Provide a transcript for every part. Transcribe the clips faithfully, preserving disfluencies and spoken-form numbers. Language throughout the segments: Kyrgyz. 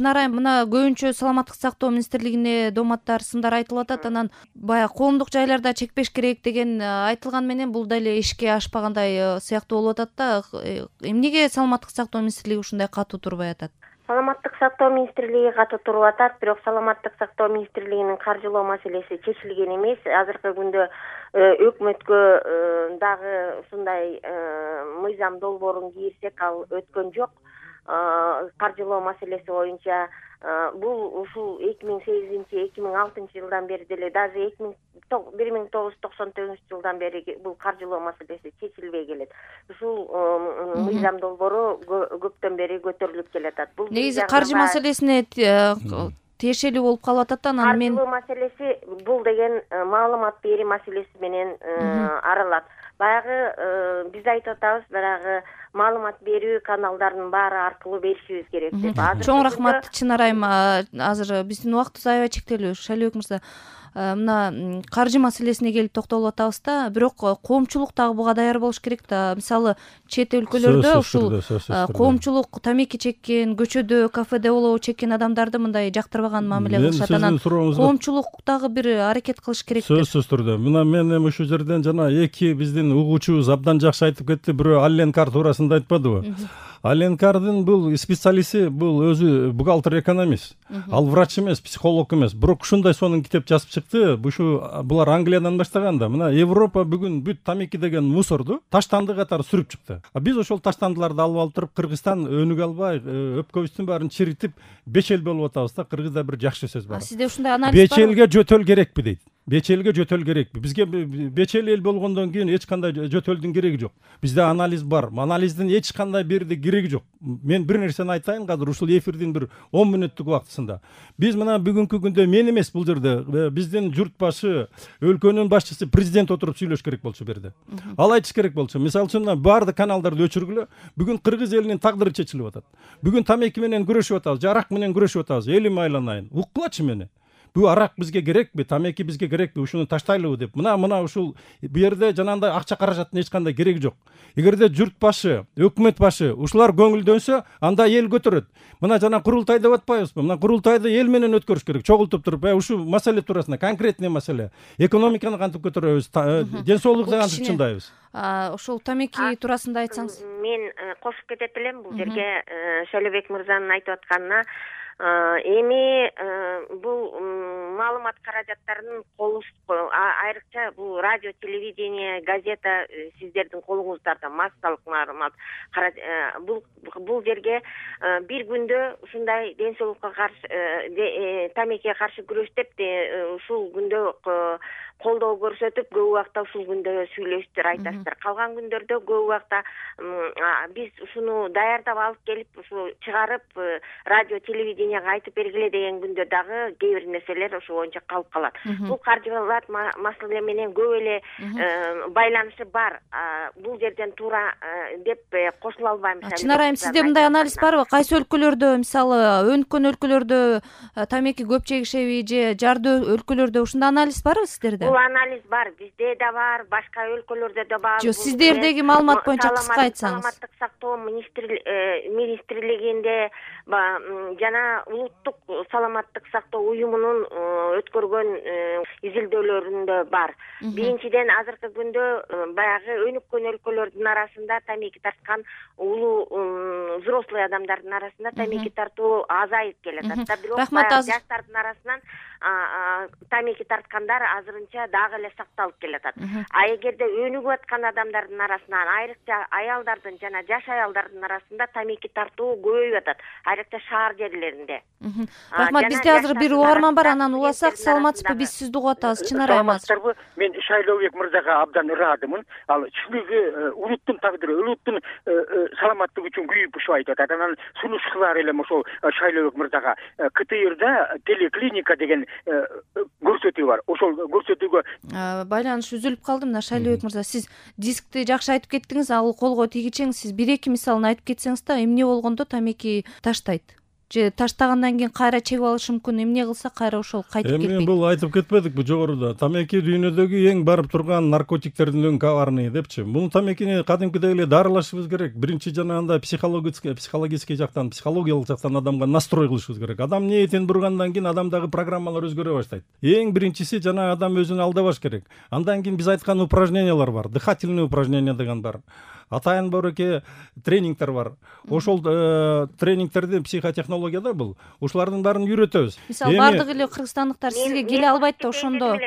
Чынар айым, мына көбүнчө саламаттык сактоо министрлигине дооматтар, сындар айтылып атат. Анан баягы коомдук жайларда чекпеш керек деген айтылган менен бул деле ишке ашпагандай сыяктуу болуп атат да. Эмнеге саламаттык сактоо министрлиги ушундай катуу турбай атат? Саламаттык сактоо министрлиги катуу туруп атат, бирок саламаттык сактоо министрлигинин каржылоо маселеси чечилген эмес. Азыркы күндө өкмөткө дагы ушундай мыйзам долбоорун кийирсек, ал өткөн жок. Каржылоо маселеси боюнча бул ушул эки миң сегизинчи эки миң алтынчы жылдан бери деле, даже бир миң тогуз жүз токсон тогузунчу жылдан бери бул каржылоо маселеси чечилбей келет. Ушул мыйзам долбоору көптөн бери көтөрүлүп келатат. Бул негизи каржы маселесине тиешелүү болуп калып атат. Анан мен каржылоо маселеси бул деген маалымат берүү маселеси менен аралат. Баягы биз айтып атабыз, баягы маалымат берүү каналдарынын баары аркылуу беришибиз керек деп. Чоң рахмат Чынар айым. Азыр биздин убактыбыз аябай чектелүү. Шайлообек мырза, мына каржы маселесине келип токтолуп атабыз да, бирок коомчулук дагы буга даяр болуш керек да. Мисалы чет өлкөлөрдө ушул коомчулук тамеки чеккен, көчөдө, кафеде болобу чеккен адамдарды мындай жактырбаган мамиле кылышат. Анан коомчулук дагы бир аракет кылыш керек. Сөзсүз түрдө. Мына мен эми ушул жерден жана эки биздин угуучубуз абдан жакшы айтып кетти. Бирөө Алленкар туурасында айтпадыбы? Алленкардын бул специалисти, бул өзү бухгалтер, экономист. Ал врач эмес, психолог эмес. Бирок ушундай сонун китеп жазып чыкты. Ушу булар Англиядан баштаган да. Мына Европа бүгүн бүт тамеки деген мусорду таштанды катары сүрүп чыкты. А биз ошол таштандыларды алып алып туруп Кыргызстан өнүгө албай, өпкөбүздүн баарын чиритип беш эл болуп атабыз да. Кыргызда бир жакшы сөз бар. Сизде ушундай анализ барбы? Беш элге жөтөл керекпи дейт. Беш элге жөтөл керекпи? Бизге беш эл эл болгондон кийин эч кандай жөтөлдүн кереги жок. Бизде анализ бар. Анализдин эч кандай бирди кереги жок. Мен бир нерсени айтайын, азыр ушул эфирдин бир он мүнөттүк убактысында. Биз мына бүгүнкү күндө мен эмес бул жерде биздин журт башы, өлкөнүн башчысы президент отуруп сүйлөш керек болчу берди. Ал айтыш керек болчу. Мисалы үчүн баардык каналдарды өчүргүлө. Бүгүн кыргыз элинин тагдыры чечилип атат. Бүгүн тамеки менен күрөшүп атабыз, арак менен күрөшүп атабыз. Элим айланайын. Уккулачы мени. Бул арак бизге керекпи, тамеки бизге керекпи, ушуну таштайлыбы деп. Мына мына ушул бу жерде жанагындай акча каражаттын эч кандай кереги жок. Эгерде журт башы, өкмөт башы ушулар көңүлдөнсө, анда эл көтөрөт. Мына жана курултай деп атпайбызбы? Мына курултайды эл менен өткөрүш керек. Чогултуп туруп, э ушул маселе туурасында конкретный маселе. Экономиканы кантип көтөрөбүз, ден соолукту кантип чындайбыз? Ошол тамеки туурасында айтсаңыз. Мен кошуп кетет элем бул жерге Шайлообек мырзанын айтып атканына. Эми бул маалымат каражаттарынын колу айрыкча бул радио, телевидение, газета сиздердин колуңуздарда массалык маалымат бул бул жерге бир күндө ушундай ден соолукка каршы тамекиге каршы күрөш деп ушул күндө колдоо көрсөтүп, көп убакта ушул күндө сүйлөшүптүр, айтасыздар. Калган күндөрдө көп убакта биз ушуну даярдап алып келип, ушу чыгарып радио, телевиденияга айтып бергиле деген күндө дагы кээ бир нерселер ошо боюнча калып калат. Бул каржылат маселе менен көп эле байланышы бар. Бул жерден туура деп кошула албайм. Чынар айым, сизде мындай анализ барбы? Кайсы өлкөлөрдө, мисалы, өнүккөн өлкөлөрдө тамеки көп чегишеби же жарды өлкөлөрдө ушундай анализ барбы сиздерде? Бул анализ бар, бизде да бар, башка өлкөлөрдө да бар. Жок, сиздердеги маалымат боюнча кыска айтсаңыз. Саламаттык сактоо министрлигинде жана улуттук саламаттык сактоо уюмунун өткөргөн изилдөөлөрүндө бар. Биринчиден, азыркы күндө баягы өнүккөн өлкөлөрдүн арасында тамеки тарткан улуу взрослый адамдардын арасында тамеки тартуу азайып келатат. Бирок жаштардын арасынан тамеки тарткандар азырынча дагы эле сакталып келатат. А эгерде өнүгүп аткан адамдардын арасынан, айрыкча аялдардын жана жаш аялдардын арасында тамеки тартуу көбөйүп атат, айрыкча шаар жерлеринде. Рахмат, бизде азыр бир угарман бар, анан уласак. Саламатсызбы? Биз сизди угуп атабыз. Чынар айым. Саламатсыздарбы? Мен Шайлообек мырзага абдан ыраазымын. Ал чыныгы улуттун тагдыры, улуттун саламаттыгы үчүн күйүп ушуп айтып атат. Анан сунуш кылар элем ошол Шайлообек мырзага. КТРда телеклиника деген көрсөтүү бар. Ошол көрсөтүүгө байланыш үзүлүп калды. Мына Шайлообек мырза, сиз дискти жакшы айтып кеттиңиз, ал колго тийгичең. Сиз бир эки мисалын айтып кетсеңиз да, эмне болгондо тамеки таштайт? же таштагандан кийин кайра чегип алышы мүмкүн, эмне кылса кайра ошол кайтып келбейт. Эми кетпейт. бул айтып кетпедикпи жогоруда? Тамеки дүйнөдөгү эң барып турган наркотиктердин өң коварный депчи. Муну тамекини кадимкидей эле дарылашыбыз керек. Биринчи жанагындай психологический психологический жактан, психологиялык жактан адамга настрой кылышыбыз керек. Адам ниетин бургандан кийин адамдагы программалар өзгөрө баштайт. Эң биринчиси жанагы адам өзүн алдабаш керек. Андан кийин биз айткан упражнениялар бар. Дыхательный упражнения деген бар. Атайын бороке тренингтер бар. Ошол тренингтерди психотехнологияда бул. Ушулардын баарын үйрөтөбүз. Мисалы бардык эле кыргызстандыктар сизге келе албайт да, ошондо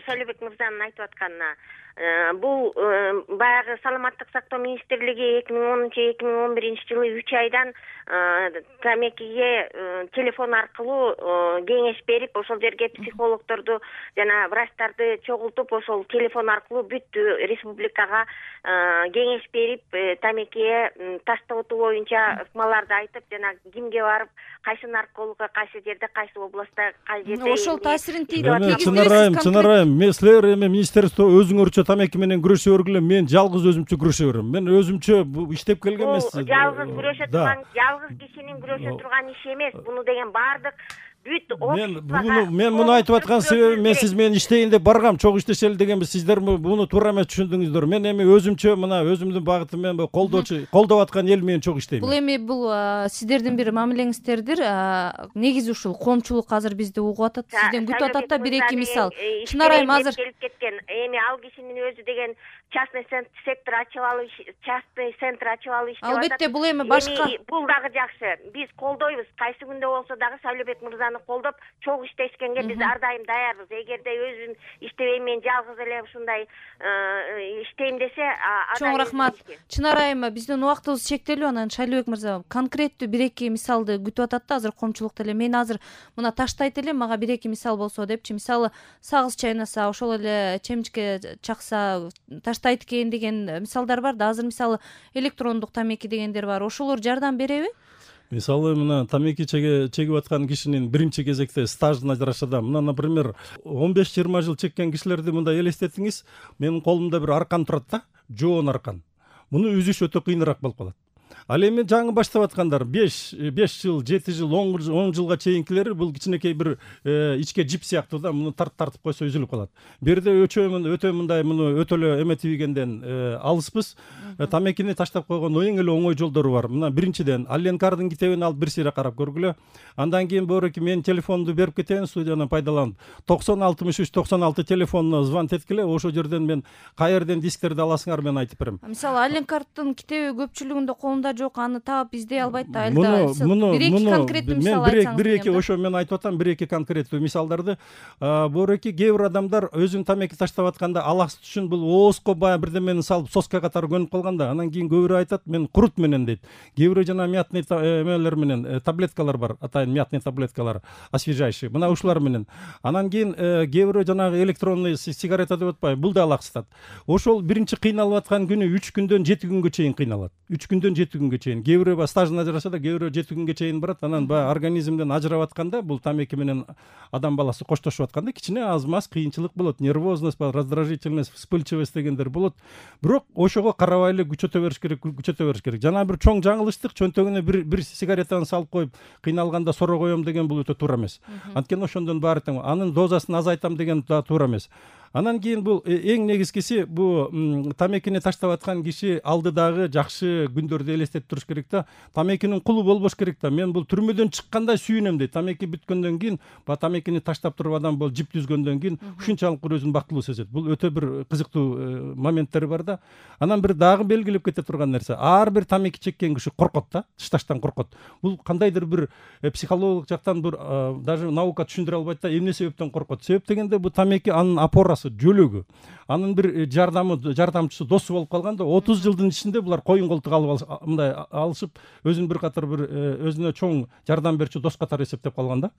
Шайлообек мырзанын айтып атканына бул баягы саламаттык сактоо министрлиги эки миң онунчу эки миң он биринчи жылы үч айдан тамекиге телефон аркылуу кеңеш берип, ошол жерге психологдорду жана врачтарды чогултуп, ошол телефон аркылуу бүт республикага кеңеш берип, тамекиге таштабытуу боюнча ыкмаларды айтып, жана кимге барып, кайсы наркологко, кайсы жерде, кайсы областта, кайсы жерде ошол таасирин тийип атат. Чынарайым, чынарайым, мен силер эми министерство өзүңөрчө тамеки менен күрөшө бергиле, мен жалгыз өзүмчө күрөшө берем. Мен өзүмчө иштеп келген эмес. Жалгыз күрөшө турган, жалгыз кишинин күрөшө турган иши эмес. Буну деген баардык бүт обществого мен муну айтып аткан себебим, мен сиз менен иштейин деп баргам, чогуу иштешели дегенбиз. Сиздер буну туура эмес түшүндүңүздөр. Мен эми өзүмчө мына өзүмдүн багытым менен колдоочу, колдоп аткан эл менен чогуу иштейм. Бул эми бул сиздердин бир мамилеңиздердир. Негизи ушул коомчулук азыр бизди угуп атат, сизден күтүп атат да бир эки мисал. Чынарайым азыр келип кеткен. Эми ал кишинин өзү деген частный сектор ачып алып, частный центр ачып алып иштеп атат. Албетте бул эми башка. Бул дагы жакшы. Биз колдойбуз. Кайсы күндө болсо дагы Шайлообек мырзаны колдоп, чогуу иштешкенге биз ар дайым даярбыз. Эгерде өзүн иштебей мен жалгыз эле ушундай иштейм десе, чоң рахмат. Чынарайым, биздин убактыбыз чектелүү. Анан Шайлообек мырза конкреттүү бир эки мисалды күтүп атат да азыр коомчулукта эле. Мен азыр мына таштайт элем, мага бир эки мисал болсо депчи. Мисалы сагыз чайнаса, ошол эле чемичке чакса таштайт экен деген мисалдар бар да. Азыр мисалы электрондук тамеки дегендер бар. Ошолор жардам береби? Мисалы мына тамеки чегип аткан кишинин биринчи кезекте стажына жараша да, мына, например, он беш жыйырма жыл чеккен кишилерди мындай элестетиңиз. Менин колумда бир аркан турат да, жоон аркан. Муну үзүш өтө кыйыныраак болуп калат. Ал эми жаңы баштап аткандар беш жыл, жети жыл, он жылга чейинкилери бул кичинекей бир ичке жип сыяктуу да, муну тартып тартып койсо үзүлүп калат. Бир жерде өтө мындай муну өтө эле эметибигенден алыспыз. Тамекини таштап койгон эң эле оңой жолдору бар. Мына биринчиден Алленкардын китебин алып бир сыйра карап көргүлө. Андан кийин бороки мен телефонду берип кетейин студияны пайдаланып. токсон алтымыш үч токсон алты телефонуна звонок эткиле, ошол жерден мен каерден дисктерди аласыңар, мен айтып берем. Мисалы Алленкардын китеби көпчүлүгүндө колунда жок, аны таап издей албайт да. Бир эки конкреттүү мисал айтсаңыз. Бир эки ошо мен айтып атам, бир эки конкреттүү мисалдарды. Бороки кээ бир адамдар өзүн тамеки таштап атканда алаксыз үчүн бул оозго баягы бирдемени салып соска катары көнүп калганда, анан кийин кээ бирөө айтат, мен курут менен дейт. Кээ бирөө жана мятный эмелер менен, таблеткалар бар, атайын мятный таблеткалар, освежающий. Мына ушулар менен. Анан кийин кээ бирөө жанагы электронный сигарета деп атпайбы, бул да алаксытат. Ошол биринчи кыйналып аткан күнү үч күндөн жети күнгө чейин кыйналат. үч күндөн жети күнгө чейин. Кээ бирөө ба стажына жараша да, кээ бирөө жети күнгө чейин барат. Анан баягы организмден ажырап атканда, бул тамеки менен адам баласы коштошуп атканда кичине аз-маз кыйынчылык болот. Нервозность, раздражительность, вспыльчивость дегендер болот. Бирок ошого карабай эле күчөтө бериш керек, күчөтө бериш керек. Жана бир чоң жаңылыштык, чөнтөгүнө бир бир сигаретаны салып коюп, кыйналганда соро коем деген бул өтө туура эмес. Анткени ошондон баары тең. Анын дозасын азайтам деген да туура эмес. Анан кийин бул эң негизгиси, бул тамекини таштап аткан киши алдыдагы жакшы күндөрдү элестетип туруш керек да. Тамекинин кулу болбош керек да. Мен бул түрмөдөн чыккандай сүйүнөм дейт. Тамеки бүткөндөн кийин, ба тамекини таштап туруп адам бул жип түзгөндөн кийин ушунчалык өзүн бактылуу сезет. Бул өтө бир кызыктуу моменттери бар да. Анан бир дагы белгилеп кете турган нерсе, ар бир тамеки чеккен киши коркот да, тышташтан коркот. Бул кандайдыр бир психологиялык жактан бир даже наука түшүндүрө албайт да, эмне себептен коркот. Себеп дегенде бул тамеки анын опорасы, жөлөгү, анын бир жардамы, жардамчысы, досу болуп калганда, отуз жылдын ичинде булар коюн колтук алып мындай алышып, өзүн бир катар бир өзүнө чоң жардам берчү дос катары эсептеп калган да.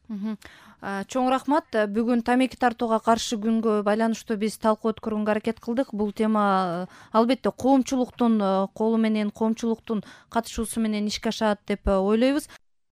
Чоң рахмат. Бүгүн тамеки тартууга каршы күнгө байланыштуу биз талкуу өткөргөнгө аракет кылдык. Бул тема албетте коомчулуктун колу менен, коомчулуктун катышуусу менен ишке ашат деп ойлойбуз.